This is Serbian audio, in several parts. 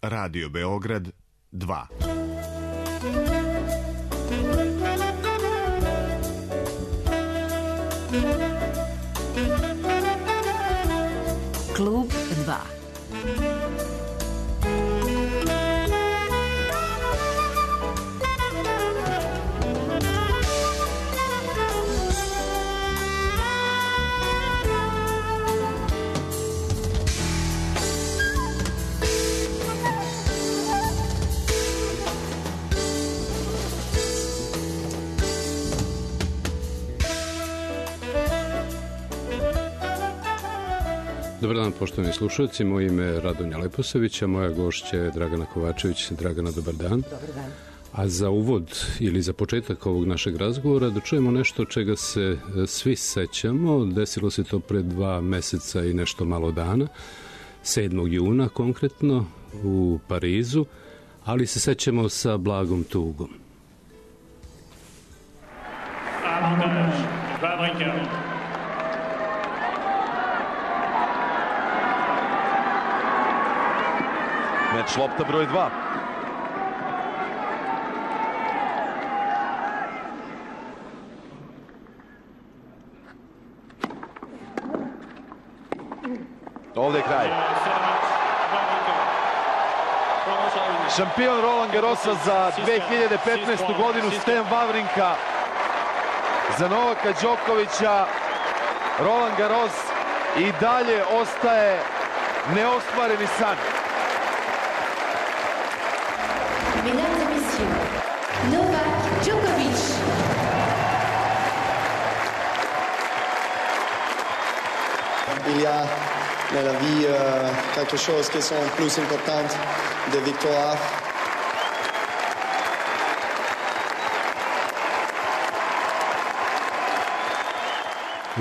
Radio Beograd 2. Klub 2. Dobar dan, poštovani slušalci. Moje ime je Radonja Leposavića, moja gošća je Dragana Kovačević. Dragana, dobar dan. Dobar dan. A za uvod ili za početak ovog našeg razgovora da čujemo nešto čega se svi sećamo. Desilo se to pred 2 meseca i nešto malo dana, 7. juna konkretno u Parizu, ali se sećamo sa blagom tugom. Meč lopta broj 2. Ovdje je kraj. Šampion Roland Garrosa za 2015. godinu Stan Wawrinka. Za Novaka Đokovića Roland Garros i dalje ostaje neostvareni san. Mesdames et messieurs, Novak Djokovic. Il y a dans la vie quelque chose qui sont plus importantes des victoires.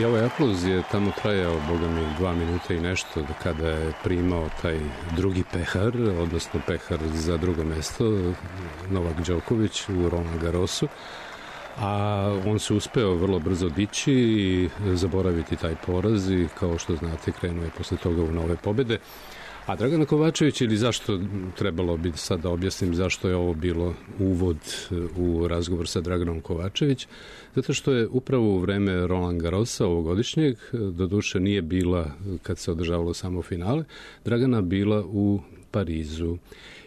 I ovaj aplauz je tamo trajao, boga mi, 2 minuta i nešto, kada je primao taj drugi pehar, odnosno pehar za drugo mesto, Novak Đoković u Roland Garrosu. A on se uspeo vrlo brzo dići i zaboraviti taj poraz i, kao što znate, krenuo je posle toga u nove pobede. A Dragana Kovačević, ili zašto trebalo bi sad da objasnim zašto je ovo bilo uvod u razgovor sa Draganom Kovačević, zato što je upravo u vreme Roland Garrosa ovogodišnjeg, doduše nije bila kad se održavalo samo finale, Dragana bila u Parizu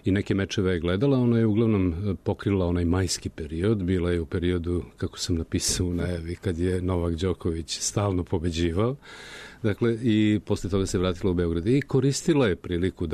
i neke mečeve je gledala. Ona je uglavnom pokrila onaj majski period, bila je u periodu, kako sam napisao u najavi, kad je Novak Đoković stalno pobeđivao. Dakle, i posle toga se vratila u Beograd i koristila je priliku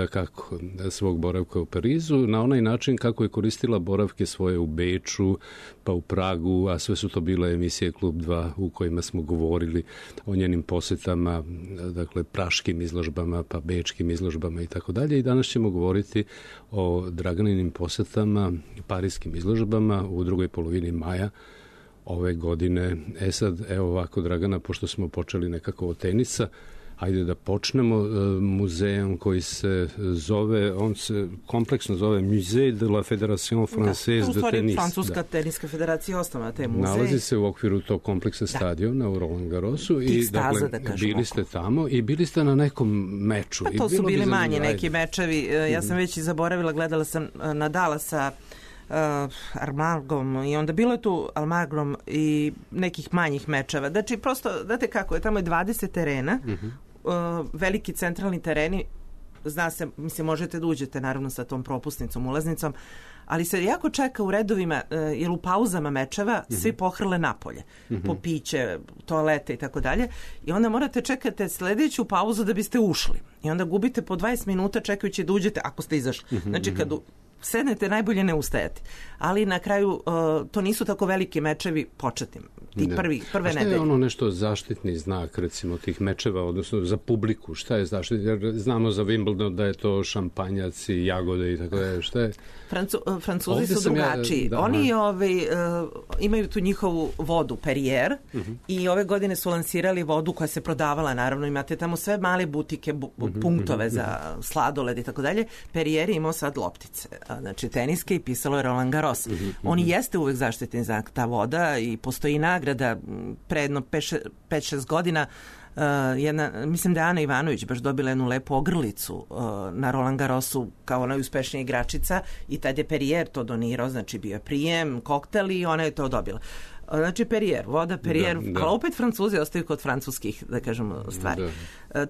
svog boravka u Parizu na onaj način kako je koristila boravke svoje u Beču, pa u Pragu, a sve su to bile emisije Klub 2 u kojima smo govorili o njenim posetama, dakle, praškim izložbama, pa bečkim izložbama i tako dalje. I danas ćemo govoriti o Draganinim posetama, parijskim izložbama u drugoj polovini maja ove godine. Sad, evo ovako, Dragana, pošto smo počeli nekako od tenisa, hajde da počnemo muzejom koji se zove, on se kompleksno zove Musée de la Fédération Française de Tennis. Francuska teniska federacija osnovna taj muzej. Nalazi se u okviru tog kompleksa stadiona u Roland Garrosu i dakle, bili ste tamo i bili ste na nekom meču. Pa to su bili manji neki mečevi. Ja sam već i zaboravila, gledala sam Nadala sa Armagom i onda bilo je tu Almagrom i nekih manjih mečeva. Znači, prosto, znate kako je, tamo je 20 terena, veliki centralni tereni, zna se, mislim, možete da uđete naravno sa tom propusnicom, ulaznicom, ali se jako čeka u redovima, jer u pauzama mečeva svi pohrle napolje, po piće, toalete i tako dalje, i onda morate čekati sledeću pauzu da biste ušli. I onda gubite po 20 minuta čekajući da uđete, ako ste izašli. Znači, kad sednete, najbolje ne ustajati. Ali na kraju to nisu tako veliki mečevi početnim. Ti prve nedelje. A šta je ono nešto zaštitni znak, recimo, tih mečeva, odnosno za publiku? Šta je zaštitni? Jer znamo za Wimbledon da je to šampanjac i jagode i tako da je. Šta je? Francuzi su drugačiji. Oni imaju tu njihovu vodu, Perrier, i ove godine su lansirali vodu koja se prodavala, naravno, imate tamo sve male butike, punktove za sladoled i tako dalje. Perrier je imao sad loptice, znači teniske, i pisalo je Roland Garros. Oni jeste uvek zaštitni znak, ta voda, i postoji nagrada pre jedno 5-6 godina Mislim da je Ana Ivanović baš dobila jednu lepu ogrlicu na Roland Garrosu kao najuspešnija igračica i tad je Perrier to donirao, znači bio je prijem, koktel i ona je to dobila. Znači Perrier, voda Perrier, ali opet Francuzi ostaju kod francuskih, da kažemo, stvari.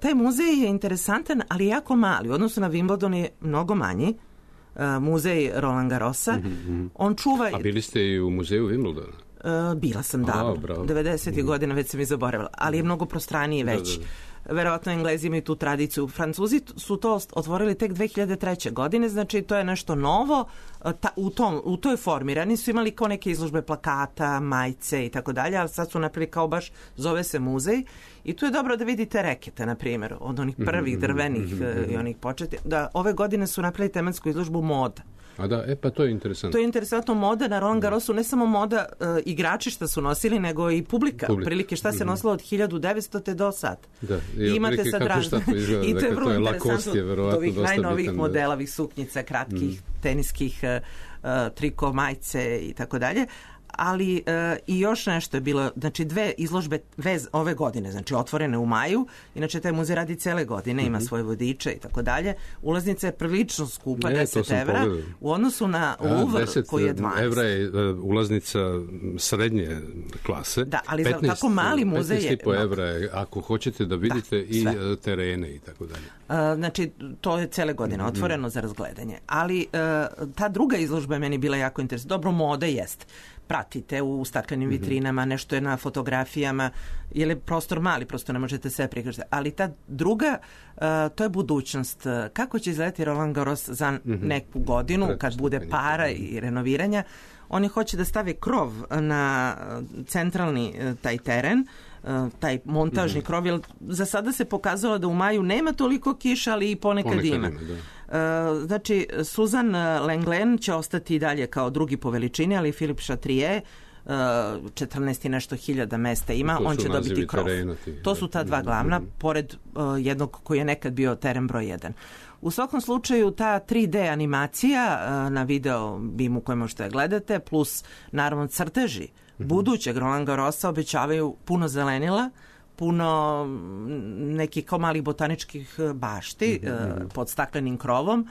Taj muzej je interesantan, ali jako mali. U odnosu na Wimbledon je mnogo manji. Muzej Roland Garrosa. On čuva... A bili ste i u muzeju Wimbledona? Bila sam davno. 90. godina, već sam i zaboravila. Ali je mnogo prostraniji veći. Verovatno Englezi imaju tu tradiciju. Francuzi su to otvorili tek 2003. godine, znači to je nešto novo u toj formi. Rani su imali kao neke izložbe plakata, majice i tako dalje, ali sad su napravili kao baš, zove se muzej i tu je dobro da vidite rekete, na primjer, od onih prvih drvenih i onih početi. Da, ove godine su napravili tematsku izložbu moda. A da, pa to je interesantno. To je interesantno, moda na Roland Garrosu, ne samo moda igrači šta su nosili, nego i publika. Prilike šta se nosilo od 1900. te do sad. Da, i imate sad razne. I to je vrlo interesantno. Od ovih najnovih modela, ovih suknjica, kratkih, teniskih, triko, majice i tako dalje. Ali i još nešto je bilo, znači 2 izložbe ove godine, znači otvorene u maju, inače taj muzej radi cele godine, ima svoje vodiče i tako dalje. Ulaznica je prilično skupa, 10 evra, u odnosu na Louvre koji je 12. 10 evra je ulaznica srednje klase. Da, ali za tako mali muzej je... 15,5 evra je, ako hoćete da vidite i terene i tako dalje. Znači, to je cele godine otvoreno za razgledanje. Ali ta druga izložba je meni bila jako interesantna. Dobro, moda jest. Pratite u staklenim vitrinama, nešto je na fotografijama, jer je prostor mali, prosto ne možete sve prikažiti. Ali ta druga, to je budućnost. Kako će izgledati Roland Garros za neku godinu, kad bude para i renoviranja? Oni hoće da stave krov na centralni taj teren, taj montažni krov, jer za sada se pokazalo da u maju nema toliko kiša, ali i ponekad ima. Znači, Suzan Lenglen će ostati i dalje kao drugi po veličini, ali Philippe Chatrier 14 i nešto hiljada mesta ima, on će dobiti krov. To su ta dva glavna, pored jednog koji je nekad bio teren broj 1. U svakom slučaju ta 3D animacija na video bimu koje možete gledate, plus naravno crteži budućeg Roland Garrosa obećavaju puno zelenila, puno nekih kao malih botaničkih bašti pod staklenim krovom,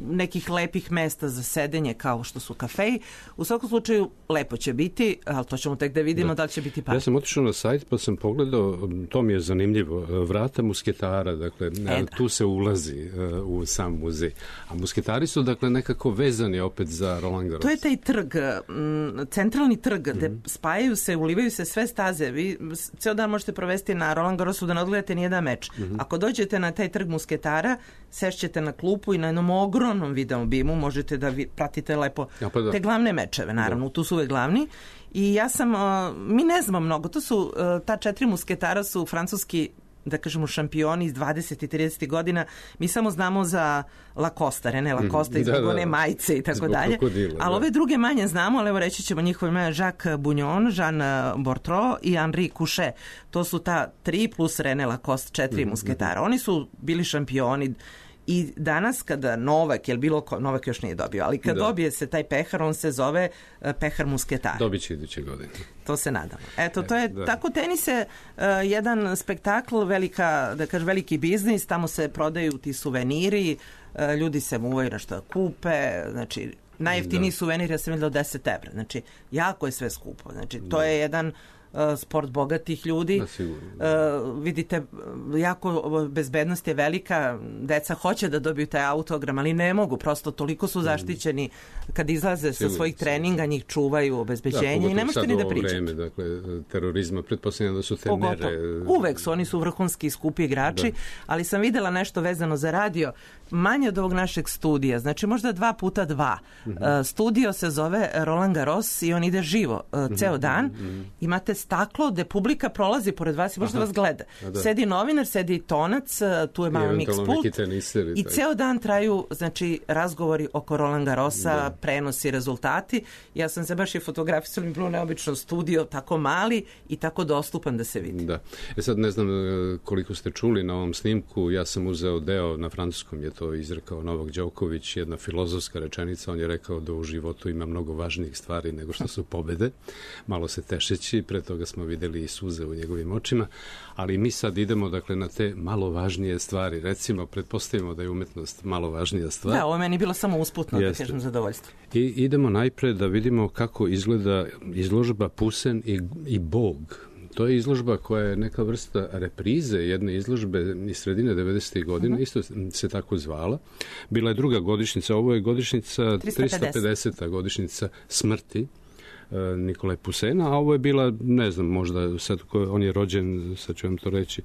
nekih lepih mesta za sedenje kao što su kafeji. U svakom slučaju lepo će biti, ali to ćemo tek da vidimo da li će biti par. Ja sam otišao na sajt pa sam pogledao, to mi je zanimljivo, vrata musketara, dakle tu se ulazi u sam muzej. A musketari su dakle nekako vezani opet za Roland Garros. To je taj trg, centralni trg gde spajaju se, ulivaju se sve staze. Vi ceo dan možete provesti na Roland Garrosu da ne odgledate nijedan meč. Ako dođete na taj trg musketara, sešćete na klupu i na jednom ogromnom video bimu možete da pratite lepo te glavne mečeve, naravno, tu su uvek glavni. I ja sam, mi ne znamo mnogo, to su, ta 4 musketara su francuski, da kažemo, šampioni iz 20 i 30 godina. Mi samo znamo za Lacoste, René Lacoste i zbog one majice i tako dalje. Ali ove druge manje znamo, ali evo reći ćemo njihove imena: Jacques Bugnon, Jean Bortreau i Henri Couchet. To su ta 3 plus René Lacoste 4 musketara. Oni su bili šampioni. I danas kada Novak, jer Novak još nije dobio, ali kad dobije se taj pehar, on se zove pehar musketara. Dobit će iduće godine. To se nadamo. Eto, to je tako, tenis je jedan spektakl, veliki biznis, tamo se prodaju ti suveniri, ljudi se muvaju na što kupe, znači najjeftiniji suvenir ja sam vidjela od 10 evra, znači jako je sve skupo, znači to je jedan sport bogatih ljudi. Vidite, jako bezbednost je velika, deca hoće da dobiju taj autogram, ali ne mogu, prosto toliko su zaštićeni kad izlaze sa svojih treninga, njih čuvaju obezbeđenje i ne možete ni da pričate. Vreme, dakle, terorizma, pretpostavljam da su te mere... Uvek su, oni su vrhunski skupi igrači, ali sam videla nešto vezano za radio, manje od ovog našeg studija, znači možda 2x2. Studio se zove Roland Garros i on ide živo, ceo dan. Imate staklo gde publika prolazi pored vas i možda vas gleda. Sedi novinar, sedi tonac, tu je malo mix pult i ceo dan traju, znači, razgovori oko Roland Garrosa, prenosi, rezultati. Ja sam se baš i fotografisala, mi bilo neobično studio, tako mali i tako dostupan da se vidi. Da. Sad ne znam koliko ste čuli na ovom snimku, ja sam uzeo deo, na francuskom je to to izrekao Novak Đoković, jedna filozofska rečenica. On je rekao da u životu ima mnogo važnijih stvari nego što su pobede. Malo se tešeći, pre toga smo videli i suze u njegovim očima, ali mi sad idemo dakle na te malo važnije stvari. Recimo, pretpostavimo da je umetnost malo važnija stvar. Da, ovo je meni bilo samo usputno, da kažem, zadovoljstvo. I idemo najpred da vidimo kako izgleda izložba Poussin i Bog. To je izložba koja je neka vrsta reprize jedne izložbe iz sredine 90. godina, isto se tako zvala. Bila je druga godišnjica, ovo je godišnjica 350. godišnjica smrti Nikole Poussina, a ovo je bila, ne znam, možda sad on je rođen, sad ću vam to reći,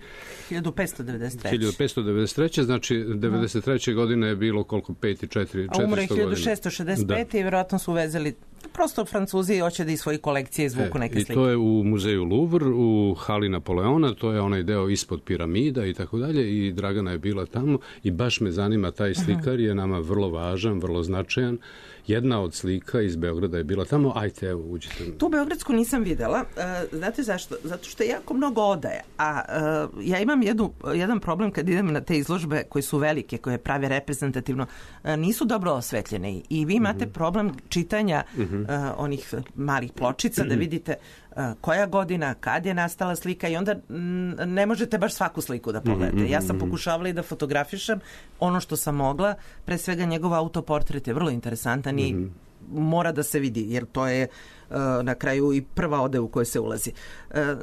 1593. Znači 93. godine je bilo koliko, 400 godina. Umro je 1665. i vjerojatno su uvezeli, prosto Francuzi hoće da iz svojih kolekcije izvuku neke slike. I to je u muzeju Louvre, u hali Napoleona, to je onaj deo ispod piramida i tako dalje, i Dragana je bila tamo i baš me zanima, taj slikar je nama vrlo važan, vrlo značajan. Jedna od slika iz Beograda je bila tamo. Ajte, evo, uđite. Tu beogradsku nisam videla. Znate zašto? Zato što je jako mnogo odaje. A ja imam jedan problem kad idem na te izložbe koje su velike, koje prave reprezentativno, nisu dobro osvetljene. I vi imate problem čitanja onih malih pločica, da vidite koja godina, kad je nastala slika, i onda ne možete baš svaku sliku da pogledate. Ja sam pokušavala i da fotografišem ono što sam mogla, pre svega njegov autoportret je vrlo interesantan i mora da se vidi, jer to je na kraju i prva ode u kojoj se ulazi.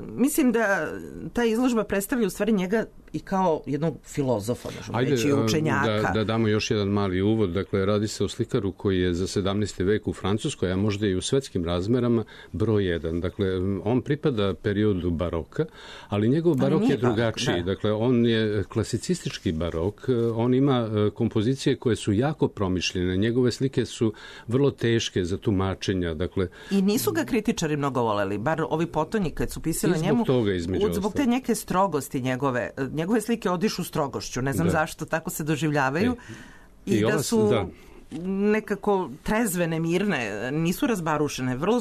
Mislim da ta izložba predstavlja u stvari njega i kao jednog filozofa, možemo reći, učenjaka. Da damo još jedan mali uvod. Dakle, radi se o slikaru koji je za 17. vek u Francuskoj, a možda i u svetskim razmerama, broj jedan. Dakle, on pripada periodu baroka, ali njegov barok je drugačiji. Dakle, on je klasicistički barok. On ima kompozicije koje su jako promišljene. Njegove slike su vrlo teške za tumačenja. Dakle, i nisu ga kritičari mnogo voleli, bar ovi potonji kad su pisali njemu. Zbog te neke strogosti njegove slike odišu strogošću. Ne znam zašto tako se doživljavaju. I da su nekako trezvene, mirne, nisu razbarušene. Vrlo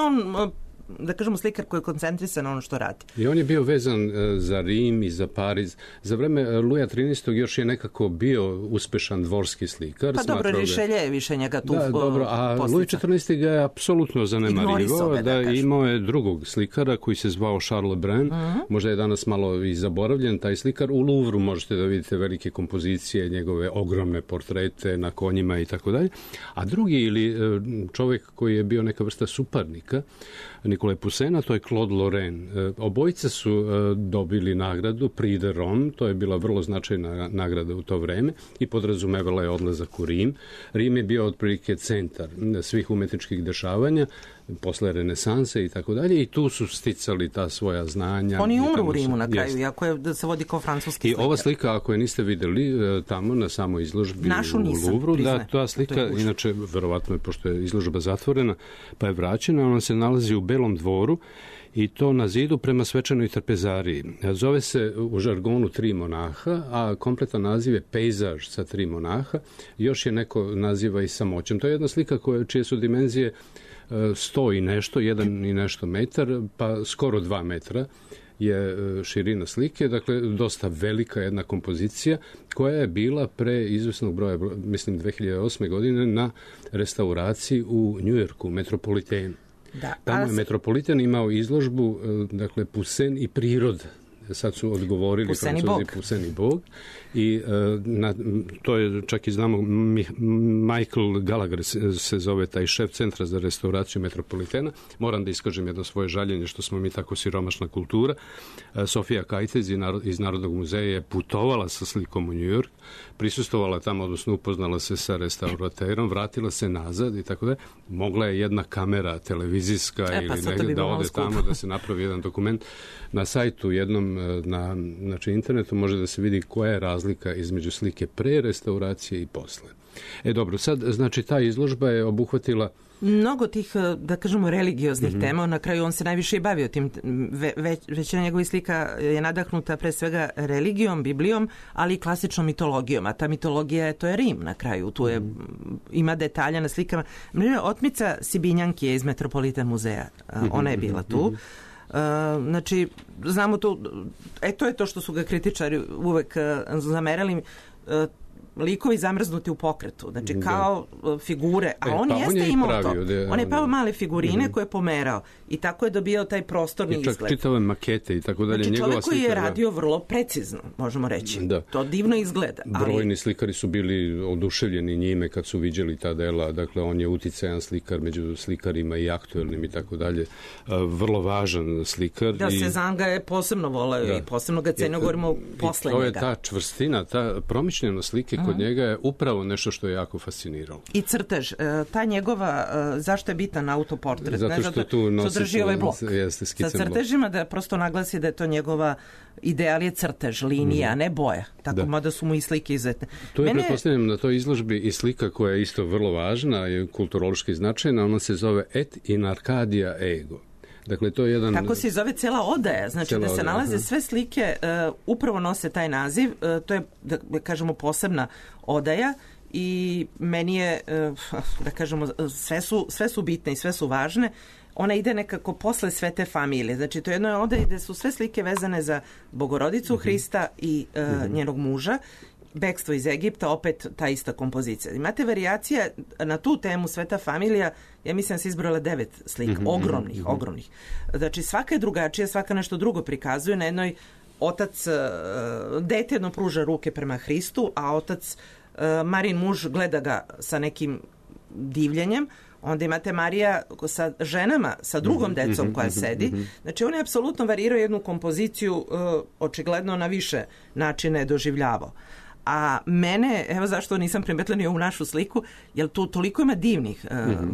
on, da kažemo, slikar koji je koncentrisan na ono što radi. I on je bio vezan za Rim i za Pariz. Za vreme Luja XIII. Još je nekako bio uspešan dvorski slikar. Pa dobro, Rišelje je više njega tu dobro, a Luj XIV. Ga je apsolutno zanemarivo. Imao je drugog slikara koji se zvao Charles Lebrun. Možda je danas malo i zaboravljen taj slikar. U Louvru možete da vidite velike kompozicije, njegove ogromne portrete na konjima i tako dalje. A drugi, ili čovjek koji je bio neka vrsta suparnika Nikole Poussina, to je Claude Lorrain. Obojica su dobili nagradu Prix de Rome, to je bila vrlo značajna nagrada u to vreme i podrazumevala je odlazak u Rim. Rim je bio otprilike centar svih umetničkih dešavanja posle renesanse i tako dalje, i tu su sticali ta svoja znanja. Oni umru u Rimu na kraju, iako je da se vodi kao francuski slikar. I ova slika, ako je niste videli tamo na samoj izložbi u Louvru, da, ta slika, inače, verovatno je, pošto je izložba zatvorena, pa je vraćena, ona se nalazi u Belom dvoru, i to na zidu prema svečanoj trpezariji. Zove se u žargonu 3 monaha, a kompletan naziv je pejzaž sa 3 monaha. Još je neko naziva i samoćem. To je jedna slika čije su dimenzije 100 i nešto, 1 i nešto metar, pa skoro 2 metra je širina slike, dakle dosta velika jedna kompozicija koja je bila pre izvesnog broja, mislim 2008. godine, na restauraciji u Njujorku, Metropolitenu. Tamo je Metropolitan imao izložbu, dakle, Poussin i priroda. Sad su odgovorili Francuzi Poussin i Bog. I to je, čak i znamo, Michael Gallagher se zove taj šef centra za restauraciju Metropolitena. Moram da iskažem jedno svoje žaljenje što smo mi tako siromašna kultura. Sofija Kajtez iz Narodnog muzeja je putovala sa slikom u New York, prisustovala tamo, odnosno upoznala se sa restauraterom, vratila se nazad i tako da. Mogla je jedna kamera televizijska ili negdje da ode tamo da se napravi jedan dokument. Na sajtu jednom, na internetu može da se vidi koja je razlika između slike pre restauracije i posle. Dobro, sad, znači, ta izložba je obuhvatila mnogo tih, da kažemo, religioznih tema. Na kraju on se najviše i bavio tim. Većina njegovih slika je nadahnuta pre svega religijom, Biblijom, ali i klasičnom mitologijom. A ta mitologija, to je Rim na kraju. Tu je, ima detalja na slikama. Otmica Sibinjanki je iz Metropolitan muzeja. Ona je bila tu. Znači, znamo to, to je to što su ga kritičari uvek zamerali. likovi zamrznuti u pokretu, znači kao figure, a on pa jeste imao to. On je pao male figurine koje je pomerao i tako je dobijao taj prostorni izgled. I čak čitave makete i tako dalje. Znači njegova čovjek koji je slika, radio vrlo precizno, možemo reći. Da. To divno izgleda. Brojni slikari su bili oduševljeni njime kad su viđeli ta dela, dakle on je uticajan slikar među slikarima i aktuelnim i tako dalje. Vrlo važan slikar. Da, Cezanne ga je posebno voleo i posebno ga cenio, govorimo posle njega. To je ta čvrstina, ta promišljenost slike kod njega je upravo nešto što je jako fasciniralo. I crtež, ta njegova, zašto je bitan autoportret? Zato što tu nosi ovaj blok sa crtežima, da prosto naglasi da je to njegova ideal je crtež, linija, a ne boja. Tako, mada su mu i slike izuzetne. To je, pretpostavljam, na toj izložbi i slika koja je isto vrlo važna i kulturološki značajna, ona se zove Et in Arcadia Ego. Dakle, to je jedan... Tako se zove cela odaja, znači da se nalaze sve slike, upravo nose taj naziv, to je, da kažemo, posebna odaja i meni je, da kažemo, sve su bitne i sve su važne. Ona ide nekako posle sve te familije. Znači, to je jedno odaje gde su sve slike vezane za Bogorodicu Hrista i njenog muža. Bekstvo iz Egipta, opet ta ista kompozicija. Imate varijacije na tu temu Sveta familija, ja mislim da se izbrojala 9 slika, ogromnih. Znači, svaka je drugačija, svaka nešto drugo prikazuje. Na jednoj otac, dete jedno pruža ruke prema Hristu, a otac, Marin muž, gleda ga sa nekim divljenjem. Onda imate Marija sa ženama, sa drugom decom koja sedi. Znači, on je apsolutno varirao jednu kompoziciju, očigledno na više načine je doživljavao. A mene, evo zašto nisam primetila ni ovu našu sliku, jer tu toliko ima divnih,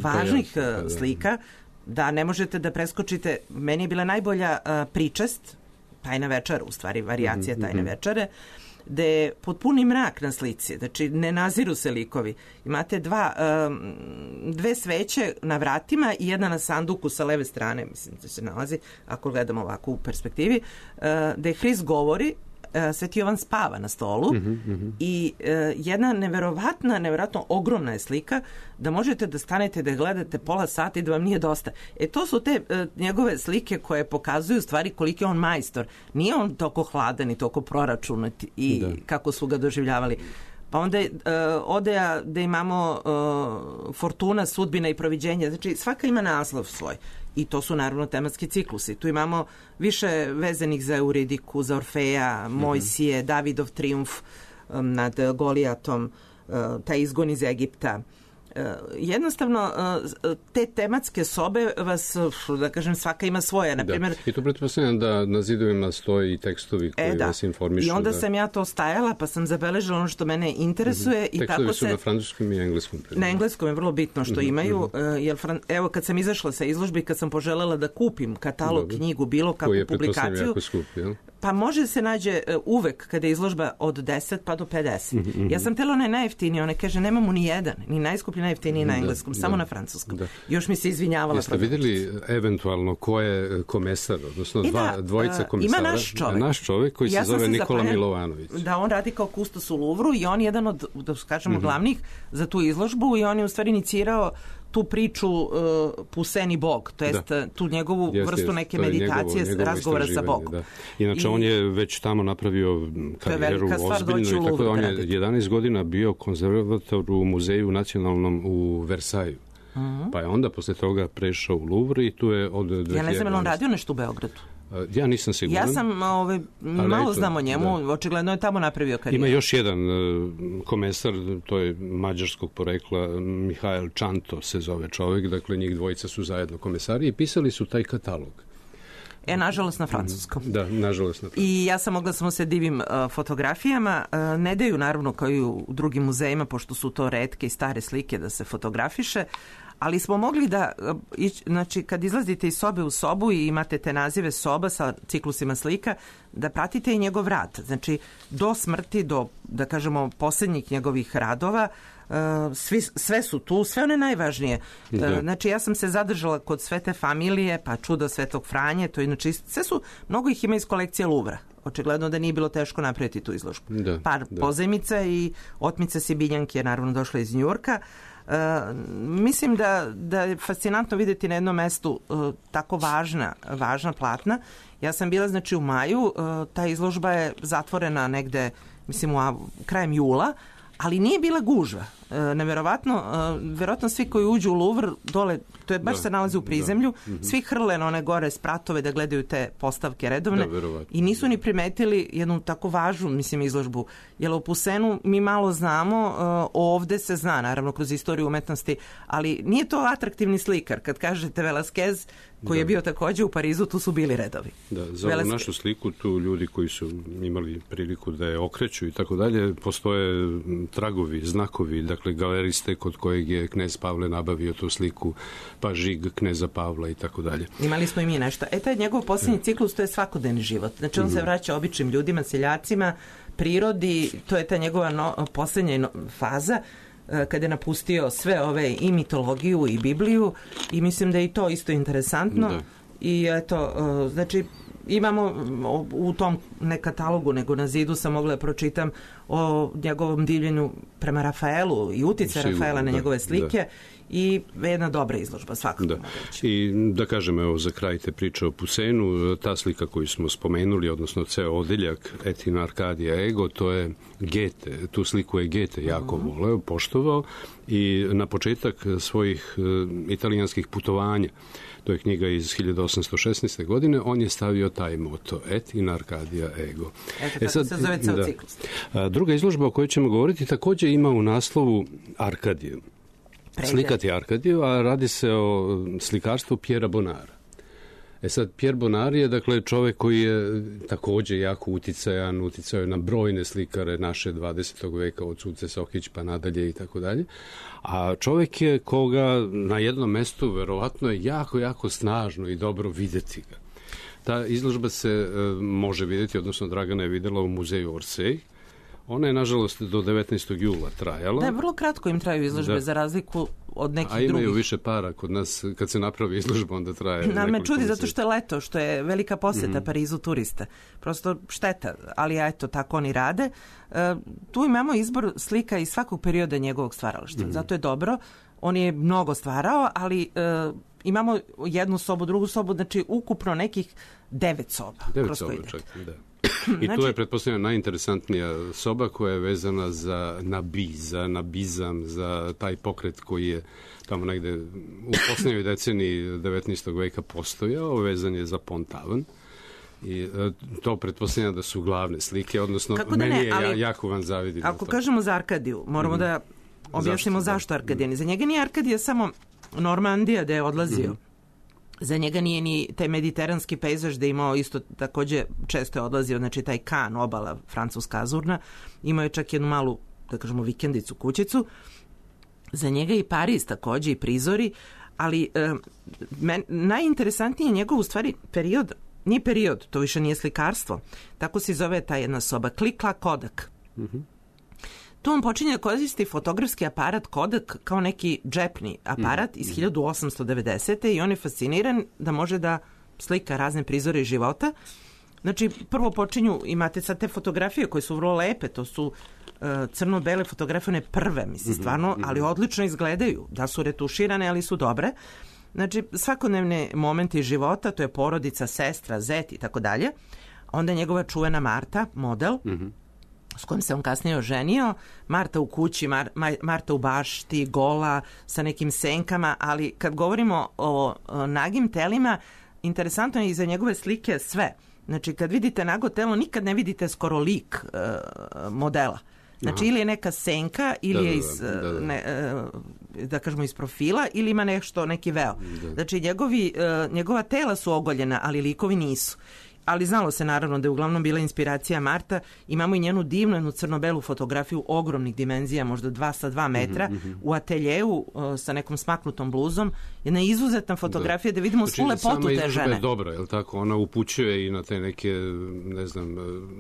važnih slika, da ne možete da preskočite. Meni je bila najbolja pričest, Tajna večera, u stvari varijacija Tajne večere, gde je potpuni mrak na slici, znači ne naziru se likovi. Imate dve sveće na vratima i jedna na sanduku sa leve strane, mislim da se nalazi, ako gledamo ovako u perspektivi, gde Hrist govori, Sveti Jovan spava na stolu i jedna neverovatno ogromna je slika da možete da stanete da gledate pola sata i da vam nije dosta. To su te njegove slike koje pokazuju stvari koliki je on majstor. Nije on toliko hladan i toliko proračunat i kako su ga doživljavali. Pa onda odeja da imamo Fortuna, sudbina i proviđenje. Znači svaka ima naslov svoj. I to su naravno tematski ciklusi. Tu imamo više vezanih za Euridiku, za Orfeja, Mojsije, Davidov trijumf nad Golijatom, taj izgon iz Egipta. Jednostavno, te tematske sobe vas, da kažem, svaka ima svoje. Naprimjer, I to pretpostavljam da na zidovima stoji i tekstovi koji vas informišu. I onda sam ja to stajala, pa sam zabeležila ono što mene interesuje. I tekstovi tako su na francuskom i engleskom. Na engleskom je vrlo bitno što imaju. Jer, evo, kad sam izašla sa izložbi, kad sam poželjela da kupim katalog, knjigu, bilo kakvu publikaciju, jako skup, jel? Pa može se nađe uvek kada je izložba od 10 pa do 50. Ja sam htjela onaj najjeftiniji, ona kaže nemamo ni jedan, ni najskuplji najjeftiniji na engleskom, samo na francuskom. Još mi se izvinjavala. Jeste vidjeli eventualno ko je komesar, odnosno dvojica komesara? Ima naš čovjek koji se zove Nikola Milovanović. Da, on radi kao kustos u Louvru i on je jedan od, da kažemo, glavnih za tu izložbu i on je u stvari inicirao tu priču Puseni Bog, to jest tu njegovu vrstu neke meditacije, razgovora sa Bogom. Da. Inače, on je već tamo napravio karijeru ozbiljnu i tako da on je 11 godina bio konzervator u muzeju nacionalnom u Versaju. Pa je onda posle toga prešao u Louvre i tu je od 2011. Ja ne znam, on radio nešto u Beogradu? Ja nisam siguran. Ja sam malo znam o njemu, očigledno je tamo napravio karijeru. Ima još jedan komesar, to je mađarskog porekla, Mihael Čanto se zove čovjek, dakle njih dvojica su zajedno komesari i pisali su taj katalog. Nažalost na francuskom. Da, nažalost na francuskom. I ja sam mogla samo se divim fotografijama. Ne daju naravno kao i u drugim muzejima, pošto su to retke i stare slike da se fotografiše, ali smo mogli da, znači kad izlazite iz sobe u sobu i imate te nazive soba sa ciklusima slika, da pratite i njegov rad. Znači do smrti, do, da kažemo, posljednjih njegovih radova, sve su tu, sve one najvažnije. Znači ja sam se zadržala kod Svete familije, pa Čudo Svetog Franje, to inače sve su, mnogo ih ima iz kolekcije Louvra. Očigledno da nije bilo teško napraviti tu izložbu. Par pozajmica i otmica Sibiljanke je naravno došla iz Njujorka. Mislim da je fascinantno vidjeti na jednom mestu tako važna platna. Ja sam bila znači u maju, ta izložba je zatvorena negde, mislim krajem jula, ali nije bila gužva. Verovatno svi koji uđu u Louvre dole, to je baš se nalazi u prizemlju, svi hrle na one gore spratove da gledaju te postavke redovne i nisu ni primetili jednu tako važnu, mislim, izložbu. Jer u Poussenu mi malo znamo, ovde se zna, naravno, kroz istoriju umetnosti, ali nije to atraktivni slikar. Kad kažete Velasquez, koji je bio takođe u Parizu, tu su bili redovi. Da, za ovu našu sliku tu ljudi koji su imali priliku da je okreću i tako dalje, postoje tragovi, znakovi, dakle galeriste kod kojeg je knez Pavle nabavio tu sliku, pa žig kneza Pavla i tako dalje. Imali smo i mi nešto. Taj njegov posljednji ciklus, to je svakodnevni život. Znači on se vraća običnim ljudima, seljacima, prirodi, to je ta njegova posljednja faza, kada je napustio sve ove i mitologiju i Bibliju i mislim da je i to isto interesantno. Da. I eto, znači imamo u tom ne katalogu, nego na zidu sam mogla da pročitam o njegovom divljenju prema Rafaelu i utice Rafaela na njegove slike i jedna dobra izložba svakako. Da. I da kažem, evo za kraj te priče o Poussenu, ta slika koju smo spomenuli, odnosno ceo odeljak Et in Arcadia Ego, to je Goethe, tu sliku je Goethe jako voleo, poštovao i na početak svojih italijanskih putovanja, to je knjiga iz 1816. godine, on je stavio taj moto, Et in Arcadia Ego. Eto, sad, se zove ceo ciklus. Druga izložba o kojoj ćemo govoriti takođe ima u naslovu Arkadiju. Slikati Arkadiju, a radi se o slikarstvu Pjera Bonara. Sad, Pierre Bonar je, dakle, čovek koji je takođe jako uticajan, uticao je na brojne slikare naše 20. veka, od Suce Sokić pa nadalje i tako dalje. A čovek je koga na jednom mestu verovatno je jako, jako snažno i dobro videti ga. Ta izložba se može videti, odnosno Dragana je videla u muzeju Orsay. Ona je, nažalost, do 19. jula trajala. Da, vrlo kratko im traju izložbe, za razliku od nekih drugih. A imaju više para kod nas, kad se napravi izložba, onda traje. Me čudi zato što je leto, što je velika poseta Parizu turista. Prosto šteta, ali eto, tako oni rade. Tu imamo izbor slika iz svakog perioda njegovog stvaralaštva. Zato je dobro. On je mnogo stvarao, ali imamo jednu sobu, drugu sobu, znači ukupno nekih 9 soba. 9 soba čak, da. I tu je, pretpostavljena, najinteresantnija soba koja je vezana za nabizam, za taj pokret koji je tamo negde u poslednjoj deceniji 19. veka postojao, vezan je za Pont-Aven. I to pretpostavljam da su glavne slike, odnosno meni je jako vam zavidim. Ako kažemo za Arkadiju, moramo da objasnimo zašto Arkadija. Za njega nije Arkadija samo Normandija da je odlazio. Za njega nije ni taj mediteranski pejzaž da je imao isto takođe često je odlazio, znači taj Kan, obala francuska azurna, imao je čak jednu malu, da kažemo, vikendicu, kućicu. Za njega i Pariz takođe i prizori, ali najinteresantniji je njegov u stvari period, nije period, to više nije slikarstvo, tako se zove ta jedna soba, Klikla Kodak. Tu on počinje da koristi fotografski aparat Kodak kao neki džepni aparat iz 1890. i on je fasciniran da može da slika razne prizore iz života. Znači, prvo počinju, imate sad te fotografije koje su vrlo lepe, to su crno-bele fotografije, one prve, mislim, stvarno, ali odlično izgledaju, da su retuširane, ali su dobre. Znači, svakodnevne momente iz života, to je porodica, sestra, zet i tako dalje. Onda je njegova čuvena Marta, model, s kojim se on kasnije oženio, Marta u kući, Marta u bašti, gola, sa nekim senkama, ali kad govorimo o nagim telima, interesantno je i za njegove slike sve. Znači, kad vidite nago telo, nikad ne vidite skoro lik modela. Znači, ili je neka senka, ili je iz, da kažemo, iz profila, ili ima nešto, neki veo. Znači, njegova tela su ogoljena, ali likovi nisu. Ali znalo se naravno da je uglavnom bila inspiracija Marta. Imamo i njenu divnu, jednu crno-belu fotografiju ogromnih dimenzija, možda 2 metra, u ateljeju sa nekom smaknutom bluzom. Jedna izuzetna fotografija da vidimo svu lepotu te žene. Sama izložba je dobra, je li tako? Ona upućuje i na te neke, ne znam,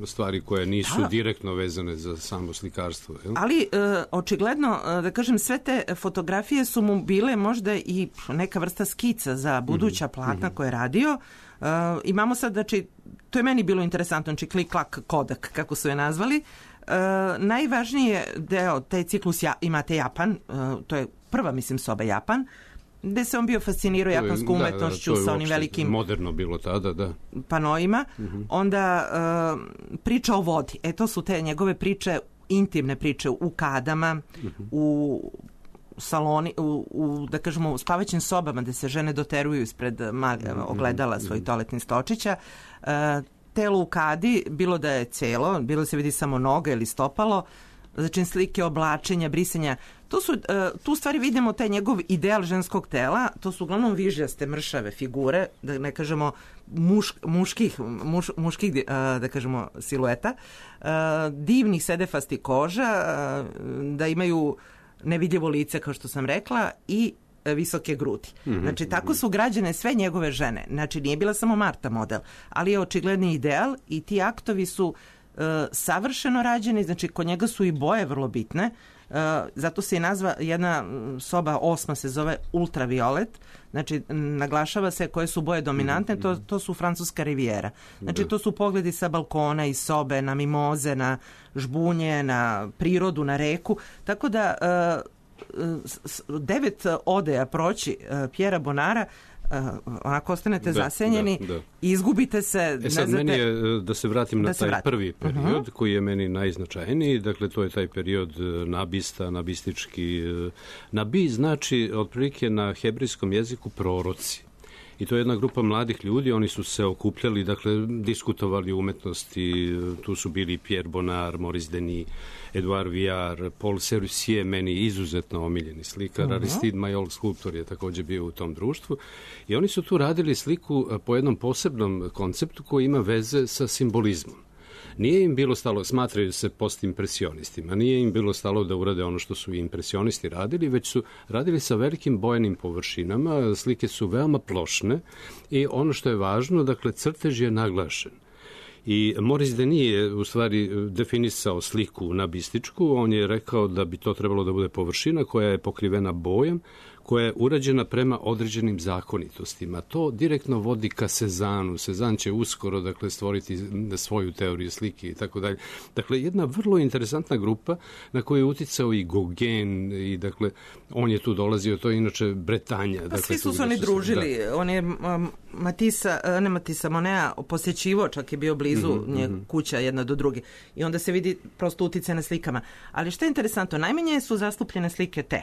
stvari koje nisu direktno vezane za samo slikarstvo. Je li? Ali očigledno, da kažem, sve te fotografije su mu bile možda i neka vrsta skica za buduća platna koje je radio. Imamo sad, znači, to je meni bilo interesantno, znači Klik-Klak Kodak, kako su je nazvali. Najvažniji deo, taj ciklus imate Japan, to je prva, mislim, soba Japan, gde se on bio fascinirao japanskom umetnošću sa onim velikim... moderno bilo tada, da. ...panoima. Onda priča o vodi. To su te njegove priče intimne priče u kadama, u saloni, da kažemo, u spavaćim sobama gde se žene doteruju ispred ogledala svojih toaletnih stočića. Telo u kadi, bilo da je celo, bilo da se vidi samo noga ili stopalo, znači slike oblačenja, brisanja. Tu stvari vidimo taj njegov ideal ženskog tela, to su uglavnom vižljaste, mršave figure, da ne kažemo muških da kažemo silueta, divnih sedefasti koža, da imaju nevidljivo lice, kao što sam rekla, i visoke grudi. Znači, tako su građene sve njegove žene. Znači, nije bila samo Marta model, ali je očigledni ideal i ti aktovi su savršeno rađeni, znači kod njega su i boje vrlo bitne, zato se i nazva jedna soba 8. se zove ultraviolet, znači naglašava se koje su boje dominantne, to su francuska rivijera. Znači to su pogledi sa balkona i sobe, na mimoze, na žbunje, na prirodu, na reku, tako da 9 odeja proći Pjera Bonara, onako ostanete zasenjeni i izgubite se. Sad meni je, da se vratim na taj prvi period koji je meni najznačajniji, dakle to je taj period nabista, nabistički. Nabi znači otprilike na hebrejskom jeziku proroci. I to je jedna grupa mladih ljudi, oni su se okupljali, dakle, diskutovali o umetnosti, tu su bili Pierre Bonnard, Maurice Denis, Edouard Viard, Paul Serusier, meni izuzetno omiljeni slikar, Aristide Maillol, skulptor, je također bio u tom društvu. I oni su tu radili sliku po jednom posebnom konceptu koji ima veze sa simbolizmom. Nije im bilo stalo, smatraju se postimpresionistima, nije im bilo stalo da urade ono što su impresionisti radili, već su radili sa velikim bojanim površinama, slike su veoma plošne i ono što je važno, dakle, crtež je naglašen. I Maurice Denis je u stvari definisao sliku nabističku, on je rekao da bi to trebalo da bude površina koja je pokrivena bojem, koja je urađena prema određenim zakonitostima. To direktno vodi ka Cezannu. Cezanne će uskoro, dakle, stvoriti svoju teoriju slike i tako dalje. Dakle, jedna vrlo interesantna grupa na koju je uticao i Gauguin i, dakle, on je tu dolazio, to je inače Bretanja. Dakle, svi su se oni družili. On je Matissa Monea posjećivo, čak je bio blizu kuća jedna do druge. I onda se vidi prosto uticaj na slikama. Ali što je interesantno, najmanje su zastupljene slike te.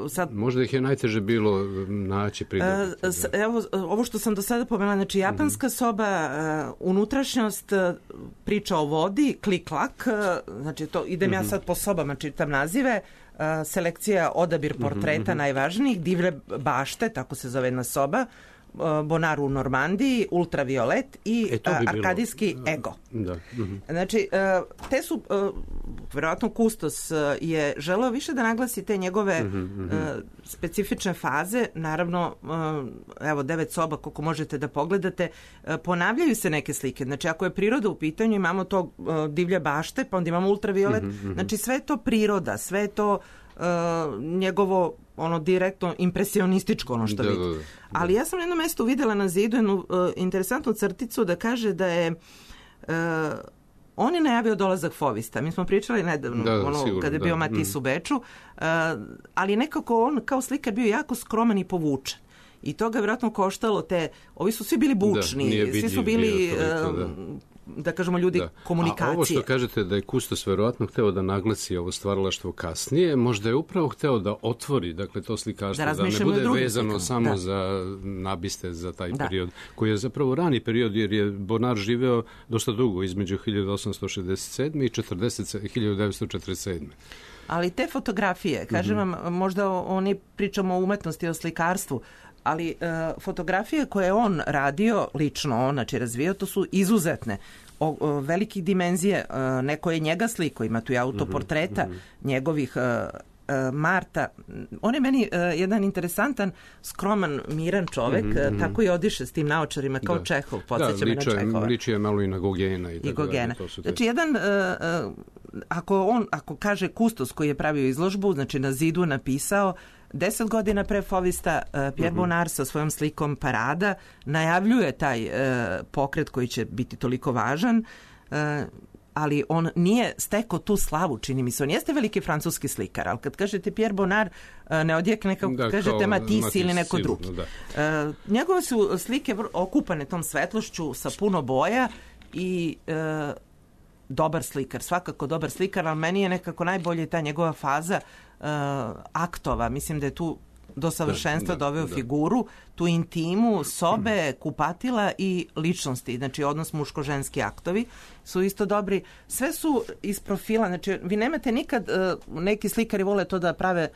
Sad, možda ih je najteže bilo naći pridobiti. Evo, ovo što sam do sada pomenula, znači japanska soba, unutrašnjost, priča o vodi, klik-klak, znači to, idem ja sad po sobama, čitam nazive, selekcija, odabir portreta najvažnijih, divlje bašte, tako se zove jedna soba, Bonnard u Normandiji, ultraviolet i arkadijski ego. Znači, te su, verovatno Kustos je želeo više da naglasi te njegove specifične faze, naravno, evo, 9 soba, koliko možete da pogledate, ponavljaju se neke slike, znači ako je priroda u pitanju, imamo to divlje bašte, pa onda imamo ultraviolet, znači sve je to priroda, sve je to njegovo ono direktno impresionističko ono što vidi. Ali ja sam na jednom mjestu vidjela na zidu jednu interesantnu crticu da kaže da je on je najavio dolazak Fauvista. Mi smo pričali nedavno kada je bio Matisse u Beču, ali nekako on kao slikar bio jako skroman i povučen. I to ga je vjerojatno koštalo ovi su svi bili bučni, svi su bili da kažemo ljudi komunikacije. A ovo što kažete da je Kustos verovatno hteo da naglasi ovo stvaralaštvo kasnije, možda je upravo hteo da otvori, dakle, to slikarstvo, da ne bude vezano samo za nabiste, za taj period, koji je zapravo rani period, jer je Bonnard živeo dosta dugo, između 1867. i 1947. Ali te fotografije, kažem vam, možda oni pričamo o umetnosti, o slikarstvu, ali fotografije koje je on radio, lično on, znači razvijao, to su izuzetne, velikih dimenzije, neko je njega sliko, ima tu i autoportreta njegovih Marta. On je meni jedan interesantan, skroman, miran čovek, tako i odiše s tim naočarima kao Čehov, podsjeća me na Čehova. Liči je malo i na Gogena. Znači jedan, ako kaže Kustos koji je pravio izložbu, znači na zidu napisao 10 godina pre Fauvista, Pierre Bonnard sa svojom slikom Parada najavljuje taj pokret koji će biti toliko važan, ali on nije stekao tu slavu, čini mi se. On jeste veliki francuski slikar, ali kad kažete Pierre Bonnard, ne odjekne kako kažete Matisse ili neko drugi. Njegove su slike okupane tom svetlošću sa puno boja i dobar slikar, svakako dobar slikar, ali meni je nekako najbolje ta njegova faza aktova. Mislim da je tu do savršenstva doveo figuru, tu intimu, sobe, kupatila i ličnosti. Znači, odnos muško-ženski aktovi su isto dobri. Sve su iz profila. Znači, vi nemate nikad, neki slikari vole to da prave,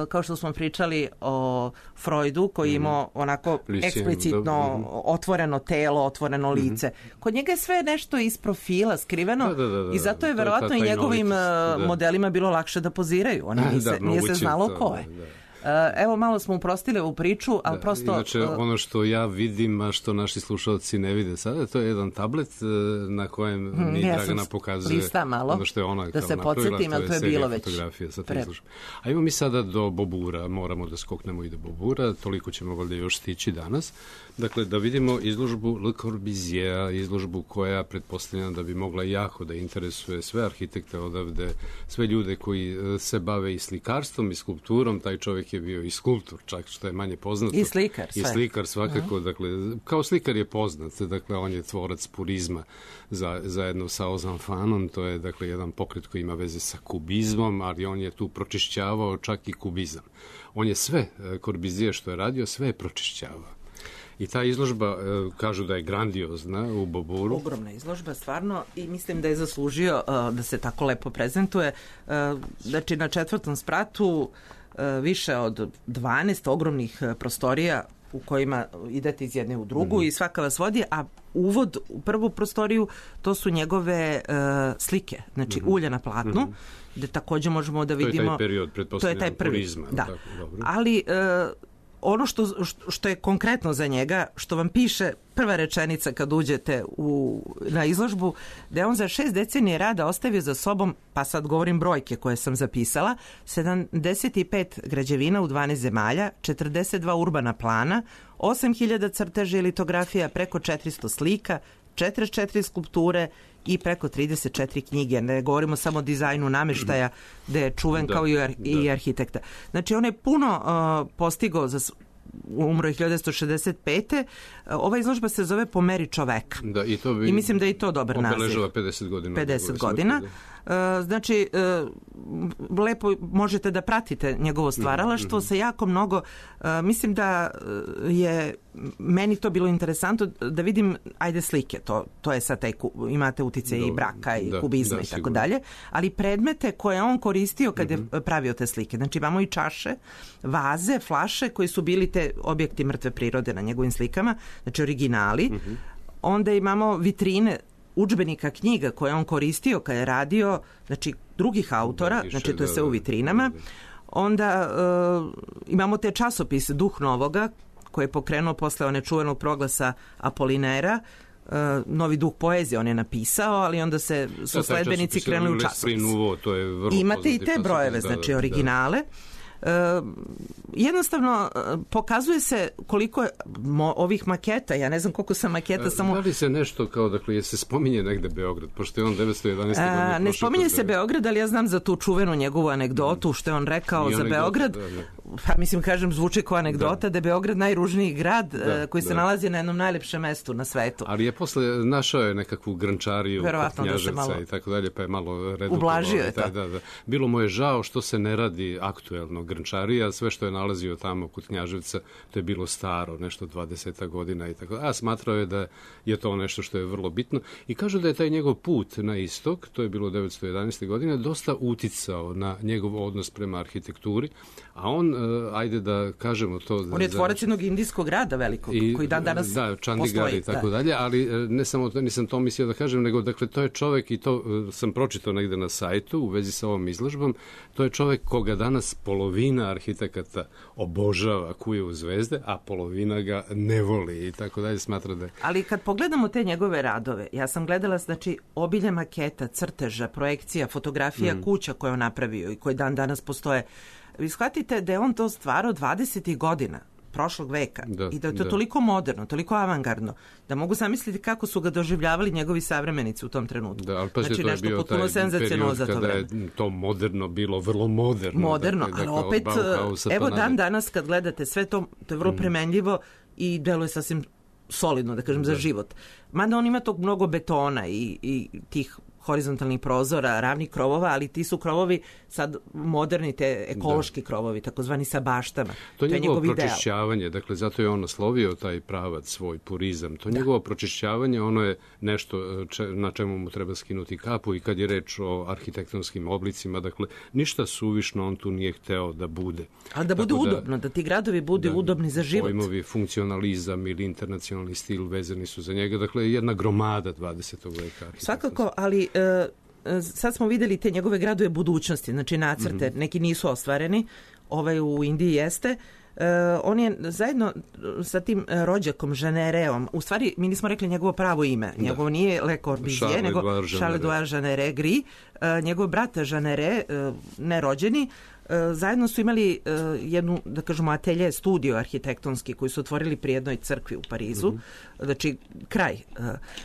kao što smo pričali o Freudu, koji imao onako eksplicitno otvoreno telo, otvoreno lice. Kod njega je sve nešto iz profila, skriveno, i zato je verovatno i njegovim modelima bilo lakše da poziraju. Oni nije se znalo ko je. Evo, malo smo uprostili ovu priču, ali prosto... Inače, ono što ja vidim, a što naši slušalci ne vide sada, to je jedan tablet na kojem mi Dragana pokazuje ono što je ona da se podsjetim, ali to je bilo već A imamo mi sada do Bobura, moramo da skoknemo i do Bobura, toliko ćemo valjda još stići danas. Dakle, da vidimo izložbu Le Corbusiera, izložbu koja pretpostavljena da bi mogla jako da interesuje sve arhitekte odavde, sve ljude koji se bave i slikarstvom i skulpturom. Taj čovjek je bio i skulptor, čak što je manje poznato. I slikar. I slikar svakako. Dakle, kao slikar je poznat. Dakle, on je tvorac purizma zajedno sa Ozanfanom. To je, dakle, jedan pokret koji ima veze sa kubizmom, ali on je tu pročišćavao čak i kubizam. On je sve, Corbusier što je radio, sve je pročišćavao. I ta izložba, kažu da je grandiozna u Boburu. Ogromna izložba, stvarno, i mislim da je zaslužio da se tako lepo prezentuje. Znači, na 4. spratu više od 12 ogromnih prostorija u kojima idete iz jedne u drugu i svaka vas vodi, a uvod u prvu prostoriju to su njegove slike, znači ulja na platnu, gde također možemo da vidimo... To je taj period, pretpostavljeno, purizma. Da, ali... ono što je konkretno za njega, što vam piše prva rečenica kad uđete na izložbu, da je on za 6 decenije rada ostavio za sobom, pa sad govorim brojke koje sam zapisala, 75 građevina u 12 zemalja, 42 urbana plana, 8000 crteža i litografija, preko 400 slika, 44 skulpture i preko 34 knjige. Ne govorimo samo o dizajnu namještaja, gde je čuven kao i arhitekta. Znači, on je puno postigao umro je 1965. Ova izložba se zove Po meri čoveka. I mislim da je i to dobar naziv. Obeležava 50 godina. 50 godina. Znači, lepo možete da pratite njegovo stvaralaštvo sa jako mnogo. Mislim da je meni to bilo interesantno da vidim, ajde, slike, to je sad imate utice i braka i kubizma i tako dalje, ali predmete koje on koristio kad je pravio te slike. Znači, imamo i čaše, vaze, flaše koji su bili te objekti mrtve prirode na njegovim slikama, znači originali. Onda imamo vitrine udžbenika knjiga koje on koristio kad je radio, znači drugih autora, znači to je sve u vitrinama. Onda imamo te časopise Duh Novoga, koji je pokrenuo posle one čuvenog proglasa Apolinera, Novi duh poezije on je napisao, ali onda su sledbenici krenuli u časopis. Imate i te brojeve, znači originale. Jednostavno pokazuje se koliko je ovih maketa, ja ne znam koliko sam maketa samo... Da li se nešto kao, dakle, je se spominje negde Beograd, pošto je on 911. godine... Ne spominje se Beograd, ali ja znam za tu čuvenu njegovu anegdotu što je on rekao za Beograd. Pa mislim, kažem, zvuči kao anegdota da je Beograd najružniji grad koji se nalazi na jednom najlepšem mestu na svetu. Ali je posle našao je nekakvu grančariju kod Knjaževca i tako dalje, pa je malo redukovao. Ublažio je to. Bilo mu je žao što se ne radi aktuelno grančarija, sve što je nalazio tamo kod Knjaževca, to je bilo staro, nešto 20 godina i tako. A smatrao je da je to nešto što je vrlo bitno i kažu da je taj njegov put na istok, to je bilo 1911. godine, dosta uticao na njegov odnos prema arhitектuri, a on, ajde da kažemo to... On je tvorac jednog indijskog grada velikog, koji dan danas postoji. Da, Chandigarh i tako dalje, ali ne samo to, nisam to mislio da kažem, nego, dakle, to je čovek, i to sam pročitao negde na sajtu u vezi sa ovom izložbom, to je čovek koga danas polovina arhitekata obožava, kuje u zvezde, a polovina ga ne voli i tako dalje, smatra da je... Ali kad pogledamo te njegove radove, ja sam gledala, znači, obilje maketa, crteža, projekcija, fotografija kuća koje on napravio i koje dan danas postoje. Vi shvatite da je on to stvarao 20. godina prošlog veka i da je to toliko moderno, toliko avangardno, da mogu zamisliti kako su ga doživljavali njegovi savremenici u tom trenutku. Da, ali znači, to je bio taj period kada je to moderno bilo vrlo moderno. Moderno, ali opet, evo dan danas kad gledate sve to, to je vrlo premenljivo i deluje sasvim solidno, da kažem, za život. Mada on ima tog mnogo betona i tih horizontalnih prozora, ravnih krovova, ali ti su krovovi sad moderni, te ekološki krovovi, takozvani sa baštama. To je njegovo njegov pročišćavanje, dakle zato je on naslovio taj pravac, svoj purizam. To njegovo pročišćavanje, ono je nešto na čemu mu treba skinuti kapu i kad je reč o arhitektonskim oblicima, dakle ništa suvišno on tu nije hteo da bude. Ali da bude udobno, da ti gradovi budu udobni za život. Pojmovi funkcionalizam ili internacionalni stil vezani su za njega, dakle jedna gromada 20. veka. Svakako, ali sad smo videli te njegove gradove budućnosti, znači nacrte, neki nisu ostvareni, ovaj u Indiji jeste. On je zajedno sa tim rođakom Jeannereom, u stvari mi nismo rekli njegovo pravo ime, njegovo nije Le Corbusier, nego Charles-Édouard Jeanneret Gris, njegov brat Jeanneret, nerođeni, zajedno su imali jednu, da kažemo, atelje studio arhitektonski koji su otvorili pri jednoj crkvi u Parizu, znači kraj,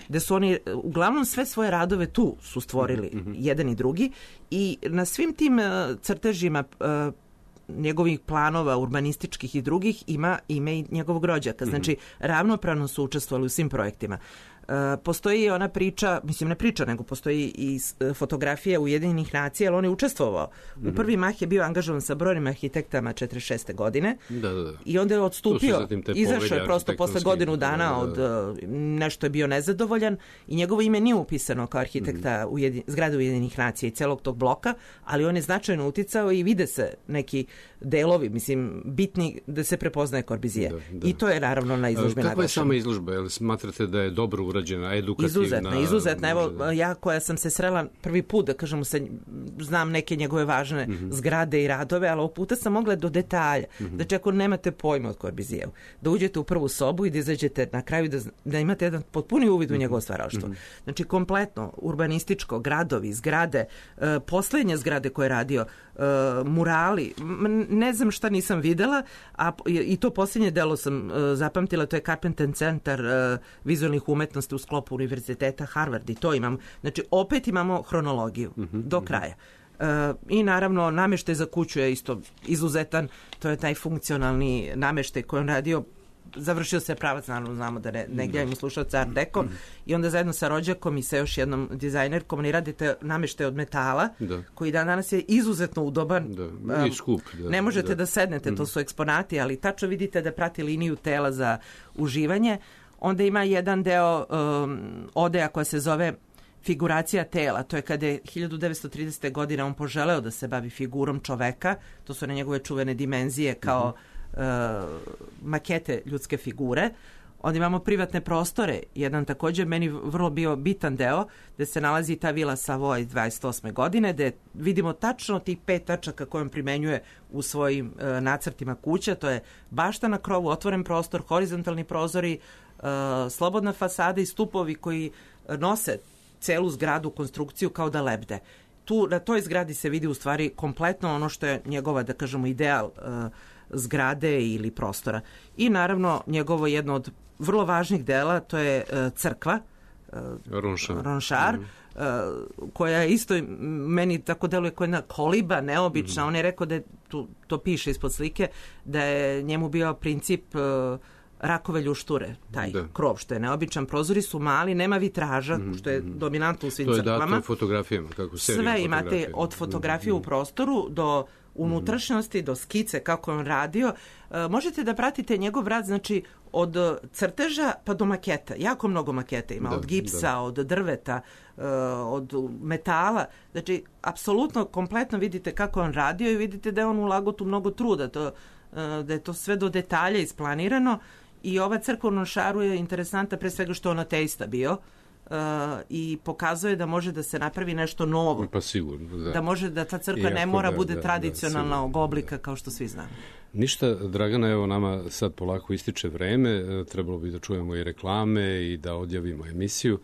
gde su oni uglavnom sve svoje radove tu su stvorili, jedan i drugi, i na svim tim crtežima njegovih planova urbanističkih i drugih ima ime i njegovog rođaka. Znači, ravnopravno su učestvovali u svim projektima. Postoji ona priča, mislim ne priča, nego postoji i fotografija Ujedinjenih nacija, ali on je učestvovao. U prvi mah je bio angažovan sa brojnim arhitektama 46. godine i onda je odstupio, izašao je prosto posle godinu dana od nešto je bio nezadovoljan i njegovo ime nije upisano kao arhitekta zgrade Ujedinjenih nacija i celog tog bloka, ali on je značajno uticao i vide se neki delovi, mislim, bitni da se prepoznaje Corbusier. I to je naravno na izložbi naglašeno. Kakva je sama izložba? Jel smatrate da je dobro urađena, edukativna? Izuzetna. Evo, ja koja sam se srela prvi put, da kažemo, znam neke njegove važne zgrade i radove, ali ovog puta sam mogla do detalja. Znači, ako nemate pojma od Corbusieru, da uđete u prvu sobu i da izađete na kraju da imate jedan potpuni uvid u njegovo stvaralaštvo. Znači, kompletno, urbanističko, gradovi, zgrade, poslednje zgrade koje je radio, murali, ne znam šta nisam videla, a i to posljednje delo sam zapamtila, to je Carpenter Centar vizualnih umetnosti u sklopu univerziteta Harvard i to imam. Znači, opet imamo hronologiju do kraja. I naravno, nameštaj za kuću je isto izuzetan, to je taj funkcionalni nameštaj koji on radio. Završio se pravac, naravno znamo da ne gledamo slušalca Art Deco i onda zajedno sa rođakom i sa još jednom dizajnerkom oni radite nameštaj od metala koji danas je izuzetno udoban i skup. Ne možete da sednete, to su eksponati, ali tačno vidite da prati liniju tela za uživanje. Onda ima jedan deo odeja koja se zove figuracija tela, to je kada je 1930. godine on poželeo da se bavi figurom čoveka, to su one njegove čuvene dimenzije kao makete ljudske figure. Onda imamo privatne prostore, jedan također meni vrlo bio bitan deo, gde se nalazi ta vila Savoy 28. godine, gde vidimo tačno tih 5 tačaka koje on primenjuje u svojim nacrtima kuća, to je bašta na krovu, otvoren prostor, horizontalni prozori, slobodna fasada i stupovi koji nose celu zgradu, konstrukciju kao da lebde. Tu, na toj zgradi se vidi u stvari kompletno ono što je njegova, da kažemo, ideal zgrade ili prostora. I naravno njegovo jedno od vrlo važnih dela, to je crkva Ronchar, koja je isto meni tako deluje kao jedna koliba neobična. On je rekao da je, to piše ispod slike, da je njemu bio princip rakove ljušture, taj krov, što je neobičan. Prozori su mali, nema vitraža, što je dominantno u svim crkvama. To je dato fotografijama, kako seriju sve imate od fotografije u prostoru do unutrašnjosti, do skice, kako je on radio. Možete da pratite njegov rad, znači, od crteža pa do maketa. Jako mnogo maketa ima, od gipsa, od drveta, od metala. Znači, apsolutno, kompletno vidite kako je on radio i vidite da je on ulagao tu mnogo truda, da je to sve do detalja isplanirano. I ova crkva u Roncharu je interesantna pre svega što je on ateista bio i pokazuje da može da se napravi nešto novo. Pa sigurno, da može da ta crkva ne mora bude tradicionalnog oblika kao što svi znamo. Ništa, Dragana, evo nama sad polako ističe vreme, trebalo bi da čujemo i reklame i da odjavimo emisiju.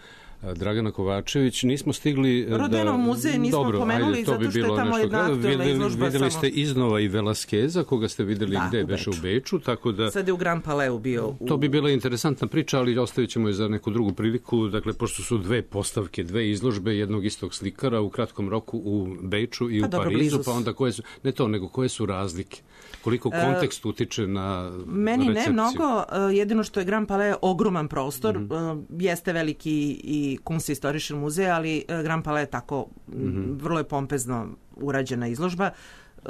Dragana Kovačević, nismo stigli Rodenov muzej nismo pomenuli zato što je tamo jedna aktualna izložba. Videli ste iznova i Velasqueza, koga ste videli gde beše u Beču, tako da... Sad je u Grand Palais bio. To bi bila interesantna priča, ali ostavit ćemo je za neku drugu priliku. Dakle, pošto su dve postavke, dve izložbe jednog istog slikara u kratkom roku u Beču i u Parizu, pa onda koje su... Ne to, nego koje su razlike? Koliko kontekst utiče na recepciju? Meni ne mnogo, jedino što je Grand Palais ogroman prostor, jeste veliki i i Kunsthistorischen muzej, ali Grand Palais je tako vrlo je pompezno urađena izložba.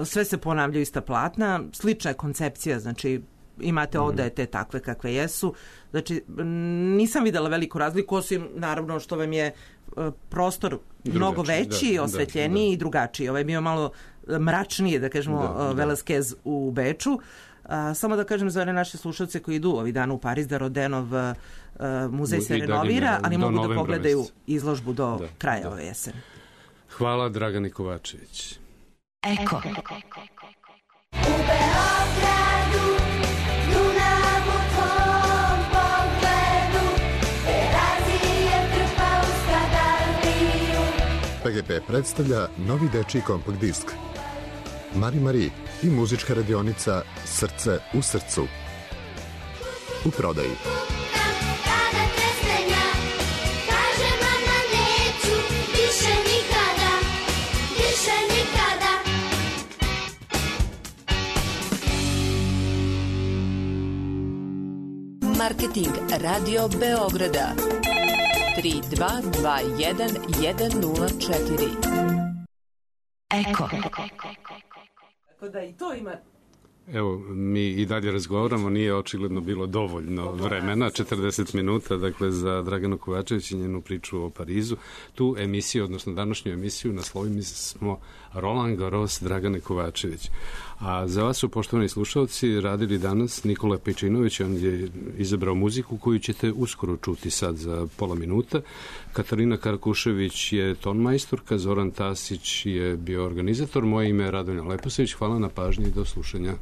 Sve se ponavljaju ista platna, slična je koncepcija, znači imate odaje te takve kakve jesu. Znači, nisam videla veliku razliku, osim naravno što vam je prostor mnogo veći, osvetljeniji i drugačiji. Ovaj je bio malo mračnije, da kažemo, Velasquez u Beču. Samo da kažem za one naše slušalce koji idu ovih dana u Pariz da Rodenov muzej se renovira, ali mogu da pogledaju izložbu do kraja ove jeseni. Hvala, Dragani Kovačević. Eko. U Beogradu, Dunav u tvom pogledu, Terazije trpa u skadaliju. PGP predstavlja novi dečiji kompakt disk Mari i muzička radionica Srce u srcu. U prodaji. Kada tresnenja, kaže mama neću, više nikada, više nikada. Marketing Radio Beograda 3221 104. Eko. Tako da i to ima... Evo, mi i dalje razgovaramo, nije očigledno bilo dovoljno vremena, 40 minuta, dakle, za Draganu Kovačević i njenu priču o Parizu. Tu emisiju, odnosno današnju emisiju, naslovili smo Roland Garros Dragane Kovačević. A za vas su, poštovani slušalci, radili danas Nikola Pejčinović, on je izabrao muziku koju ćete uskoro čuti sad za pola minuta. Katarina Karkušević je tonmajstorka, Zoran Tasić je bio organizator, moje ime je Radonja Leposević, hvala na pažnji i do slušanja.